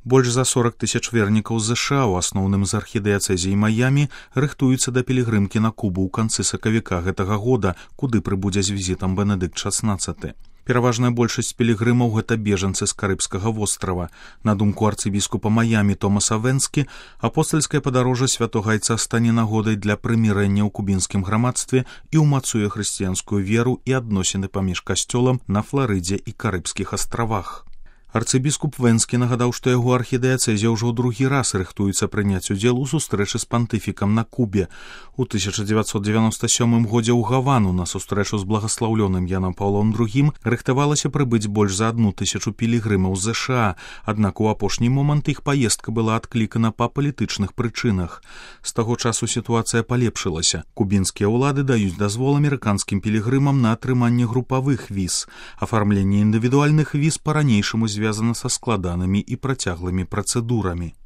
Больш за 40 тысяч вернікаў з ЗША, у асноўным з архідыяцэзіі Маямі, рыхтуюцца да пілігрымкі на Кубу ў канцы сакавіка гэтага года, куды прыбудзе з візітам Бенедыкт XVI. Пераважная большасць пілігрымаў – гэта бежанцы з Карыбскага вострава. На думку арцыбіскупа Маямі Томаса Венскі, апостальскае падарожжа святога айца стане нагодай для прымірэння ў кубінскім грамадстве і ўмацуе хрысціянскую веру і адносіны паміж касцёлам на Фларыдзе і Карыбскіх астравах. Арцыбіскуп Венскі нагадаў, што яго архідыяцэзія ўжо ў другі раз рыхтуецца прыняць удзел у сустрэчы з пантыфікам на Кубе. У 1997 годзе ў Гавану на сустрэчу з благаслаўлёным Янам Паўлом II рыхтавалася прыбыць больш за 1000 пілігрымаў з ЗША, аднак у апошні момант іх паездка была адклікана па палітычных прычынах. З таго часу сітуацыя палепшылася. Кубінскія ўлады даюць дазвол амерыканскім пілігрымам на атрыманне групавых віз. Афармленне індывідуальных віз па-ранейшаму звязана са складанымі і працяглымі працэдурамі.